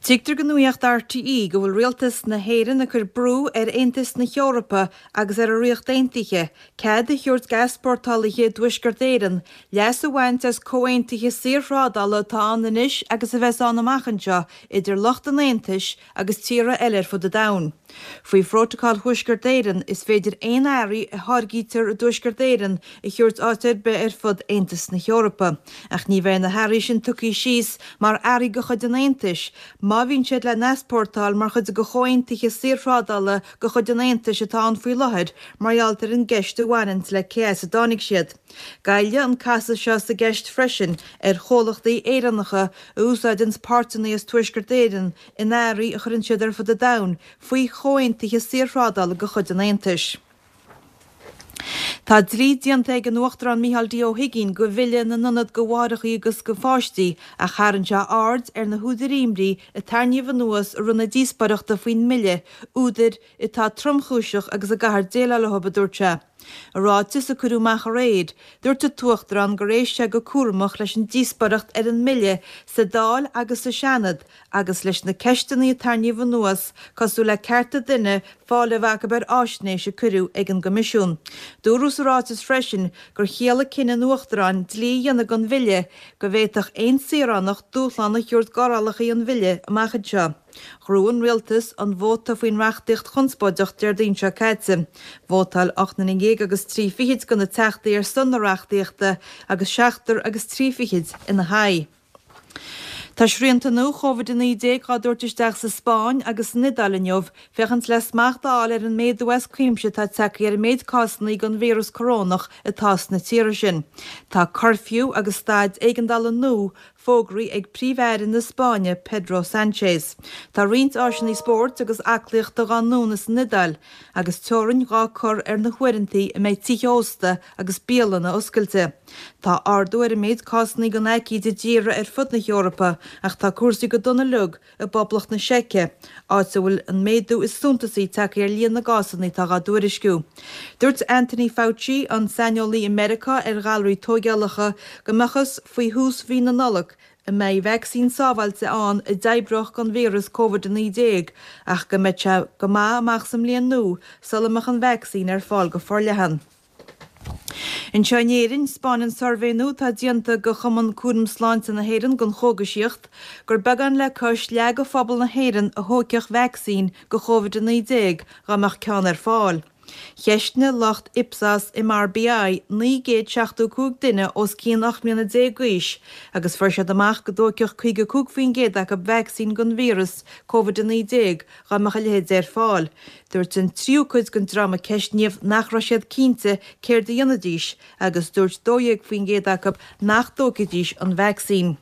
Tuigtear do Nuacht RTÉ go bhfuil Rialtas na hÉireann ag cur brú ar Aontas na hEorpa agus ar an Ríocht Aontaithe cead a thabhairt d'easpórtálaithe i dTuaisceart Éireann leas a bhaint as comhaontuithe saorthrádála atá ann anois agus a bheas ann amach anseo idir lucht an Aontais agus tíortha eile ar fud an domhain. Faoi Phrótacal Thuaisceart Éireann, is féidir aon earraí a tháirgítear i dTuaisceart Éireann a thabhairt áit ar bith ar fud Aontas na hEorpa. Ach ní bheidh na hearraí sin tugtha síos mar earraí de chuid an Aontais má bhíonn siad le n-easpórtáil mar chuid de chomhaontuithe saorthrádála de chuid an Aontais atá ann faoi láthair mar gheall ar an gceist a bhaineanns le cé as a dtáinig siad. Goillfidh an casadh seo sa gceist freisin ar chomhlachtaí Éireannacha a úsáideanns páirteanna as Tuaisceart Éireann in earraí a chuireann siad ar fud an domhain faoi chomhaontuithe saorthrádála de chuid an Aontais. Tá dlí déanta ag an Uachtarán Micheál D. Ó hUigínn de Bhille na nIonad do Mháithreacha agus do Pháistí ach tharraing sé aird ar na húdair imní a tarraingíodh anuas i rith na díospóireachta faoin mbille, údair atá tromchúiseach agus a gcaithfear déileáil leo, a dúirt sé. I ráiteas a cuireadh amach aréir, dúirt an tUachtarán gur éist sé go cúramach leis an díospóireacht ar an mbille sa Dáil agus sa Seanad agus leis na ceisteanna a tarraingíodh anuas cosúil le cearta duine fáil a bheith acu ar fháisnéis a cuireadh ag an gCoimisiún. Dúradh sa ráiteas freisin gur chiallaigh cinneadh an Uachtaráin dlí a dhéanamh den bhille go bhféadfadh aon saoránach dúshlán a thabhairt d'fhorálacha an bhille amach anseo. Ghnóthaigh an rialtas an vóta faoin reachtaíocht chonspóideach Déardaoin seo caite. Vótáil 18 nduine agus 30 de na teachtaí ar son na reachtaíochta agus seachtar agus 30 ina haghaidh. Tá srianta nua Covid-19 á dtabhairt isteach sa Spáinn agus san Iodáil inniu féachaint le smacht a fháil ar an méadú as cuimse atá tagtha ar an méid cásanna den víreas corónach atá sna tíortha sin. Tá cuirfiú agus staid éigeandála nua fógraithe ag Príomh-Aire na Spáinne Pedro Sanchez. Tá roinnt áiseanna spóirt agus aclaíochta dhá ndúnadh san Iodáil agus teorainn dhá cur ar na huaireanta a mbeidh tithe ósta agus bialanna oscailte. Tá ardú ar an méid cásanna den aicíd i dtíortha ar fud na hEorpa ach tá cúrsaí go dona uilig i bPoblacht na Seice, áit a bhfuil an méadú is suntasaí tagtha ar líon na gcásanna atá dhá dtuairisciú. Dúirt Anthony Fauci, an saineolaí i Meiriceá ar ghalraí tóigeálacha, go mb'fhacthas faoi thús mhí na Nollag a mbeidh vacsaín sábháilte ann a d'oibreodh don víreas Covid-19 ach go mbeidh sé go maith amach sa mbliain nua sula mbeadh an vacsaín ar fáil go forleathan. Anseo in Éirinn, 'spáineann suirbhé nua atá déanta do Chumann Cúram Sláinte na hÉireann don Chógaisíocht gur beagán le cois leath de phobal na hÉireann a thógfadh vacsaín do Chóvid-19 dá mbeadh ceann ar fáil. Cheistnigh lucht Ipsos MRBI 975 duine os cionn 18 mbliana d'aois agus fuair siad amach go dtógfadh 55% acu vacsaín don víreas Covid-19 dá mbeadh a leithéid ar fáil. Dúirt an tríú cuid den dream a ceistníodh nach raibh siad cinnte céard a dhéanfaidís agus dúirt 12% acu nach dtógfaidís an vacsaín.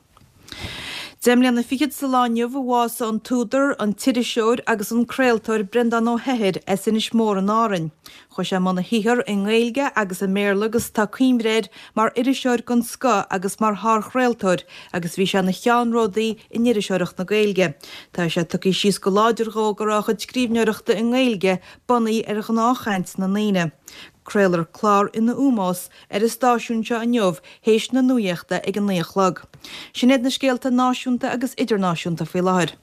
Deich mbliana fichead sa lá inniu a bhásaigh an t-údar, an t-iriseoir agus an craoltóir Breandán Ó hEithir as Inis Mór in Árainn. Chuaigh sé i mbun a shaothair i nGaeilge agus i mBéarla agus tá cuimhne air mar iriseoir den scoth agus mar shárchraoltóir agus bhí sé ina cheannródaí in iriseoireacht na Gaeilge. Tá sé tugtha síos go láidir dhó go raibh a chuid scríbhneoireachta i nGaeilge bunaithe ar ghnáthchaint na ndaoine. Craolfar clár ina ómós ar an stáisiún seo inniu théis na nuaíochta ag a 9 a chlog. Sin iad na scéalta náisiúnta agus idirnáisiúnta faoi láthair.